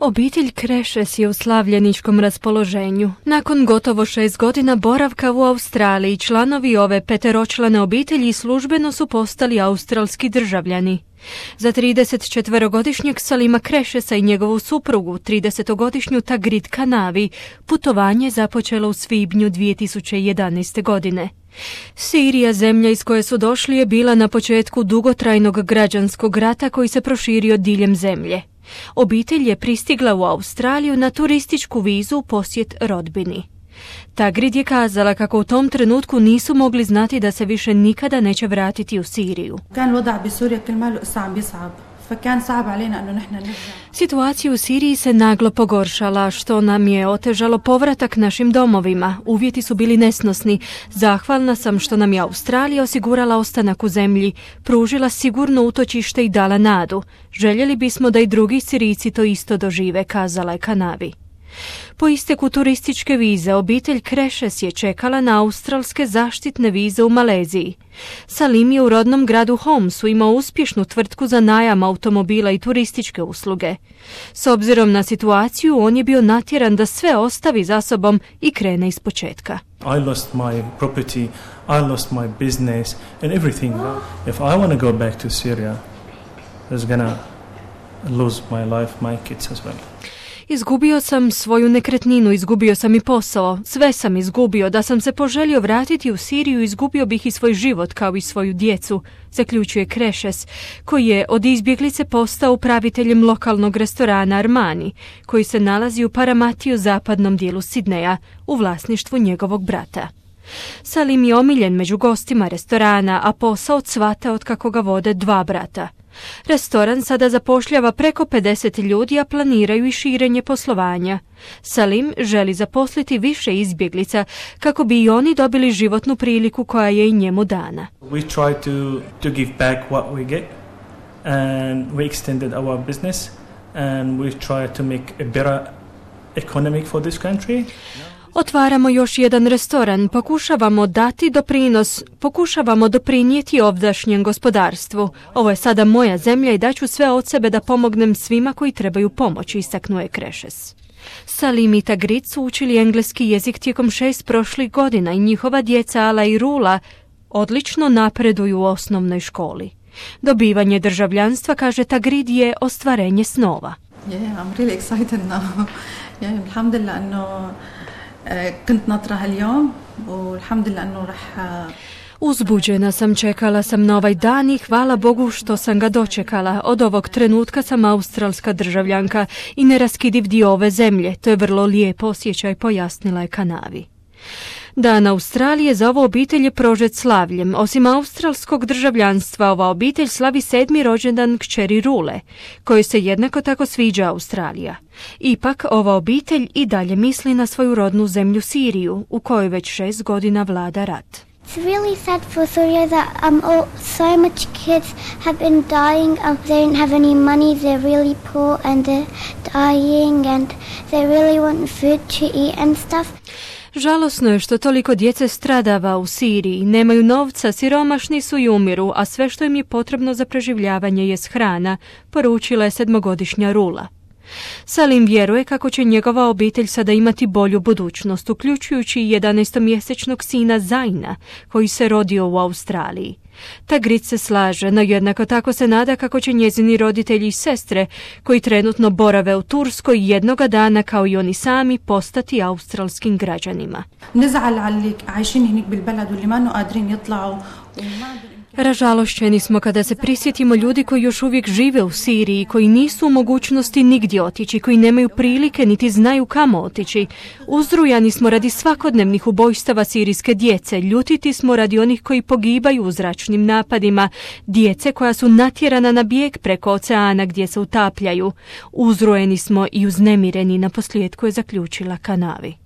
Obitelj Krešes je u slavljeničkom raspoloženju. Nakon gotovo 6 godina boravka u Australiji, članovi ove peteročlane obitelji službeno su postali australski državljani. Za 34-godišnjeg Salima Krešesa i njegovu suprugu, 30-godišnju Tagrit Kanavi, putovanje započelo u svibnju 2011. godine. Sirija, zemlja iz koje su došli, je bila na početku dugotrajnog građanskog rata koji se proširio diljem zemlje. Obitelj je pristigla u Australiju na turističku vizu u posjet rodbini. Tagrit je kazala kako u tom trenutku nisu mogli znati da se više nikada neće vratiti u Siriju. Situacija u Siriji se naglo pogoršala, što nam je otežalo povratak našim domovima. Uvjeti su bili nesnosni. Zahvalna sam što nam je Australija osigurala ostanak u zemlji, pružila sigurno utočište i dala nadu. Željeli bismo da i drugi Sirijci to isto dožive, kazala je Kanavi. Po isteku turističke vize, obitelj Krešes je čekala na australske zaštitne vize u Maleziji. Salim je u rodnom gradu Homsu imao uspješnu tvrtku za najam automobila i turističke usluge. S obzirom na situaciju, on je bio natjeran da sve ostavi za sobom i krene ispočetka. I lost my property, I lost my business and everything. If I want to go back to Syria, it's gonna lose my life, my kids as well. Izgubio sam svoju nekretninu, izgubio sam i posao, sve sam izgubio. Da sam se poželio vratiti u Siriju, izgubio bih i svoj život kao i svoju djecu, zaključuje Krešes, koji je od izbjeglice postao upraviteljem lokalnog restorana Armani, koji se nalazi u Paramatiju, zapadnom dijelu Sidneja, u vlasništvu njegovog brata. Salim je omiljen među gostima restorana, a posao cvata od kako ga vode dva brata. Restoran sada zapošljava preko 50 ljudi, a planiraju i širenje poslovanja. Salim želi zaposliti više izbjeglica kako bi i oni dobili životnu priliku koja je i njemu dana. We try to give back what we get and we extended our business and we try to make a better economic for this country. Otvaramo još jedan restoran, pokušavamo doprinijeti ovdašnjem gospodarstvu. Ovo je sada moja zemlja i daću sve od sebe da pomognem svima koji trebaju pomoć, istaknuo je Krešes. Salim i Tagrit su učili engleski jezik tijekom 6 prošlih godina i njihova djeca Ala i Rula odlično napreduju u osnovnoj školi. Dobivanje državljanstva, kaže Tagrit, je ostvarenje snova. I'm really excited now. Alhamdulillah انه كنت ناطرة اليوم والحمد لله انه راح. Uzbuđena sam, čekala sam na ovaj dan i hvala Bogu što sam ga dočekala. Od ovog trenutka sam australska državljanka i neraskidiv dio ove zemlje. To je vrlo lijep osjećaj, pojasnila je Kanavi. Dan Australije za ovu obitelj je prožet slavljem. Osim australskog državljanstva, ova obitelj slavi 7. rođendan kćeri Rule, kojoj se jednako tako sviđa Australija. Ipak, ova obitelj i dalje misli na svoju rodnu zemlju Siriju, u kojoj već 6 godina vlada rat. It's really sad for Syria that so much kids have been dying. They don't have any money. They're really poor and they're dying and they really want food to eat and stuff. Žalosno je što toliko djece stradava u Siriji, nemaju novca, siromašni su i umiru, a sve što im je potrebno za preživljavanje jest hrana, poručila je 7-godišnja Rula. Salim vjeruje kako će njegova obitelj sada imati bolju budućnost, uključujući i 11-mjesečnog sina Zaina, koji se rodio u Australiji. Tagrit se slaže, no jednako tako se nada kako će njezini roditelji i sestre, koji trenutno borave u Turskoj, jednoga dana, kao i oni sami, postati australskim građanima. Ražalošćeni smo kada se prisjetimo ljudi koji još uvijek žive u Siriji, koji nisu u mogućnosti nigdje otići, koji nemaju prilike niti znaju kamo otići. Uzrujani smo radi svakodnevnih ubojstava sirijske djece, ljutiti smo radi onih koji pogibaju u zračnim napadima, djece koja su natjerana na bijeg preko oceana gdje se utapljaju. Uzrujeni smo i uznemireni, naposljetku je zaključila Kanavi.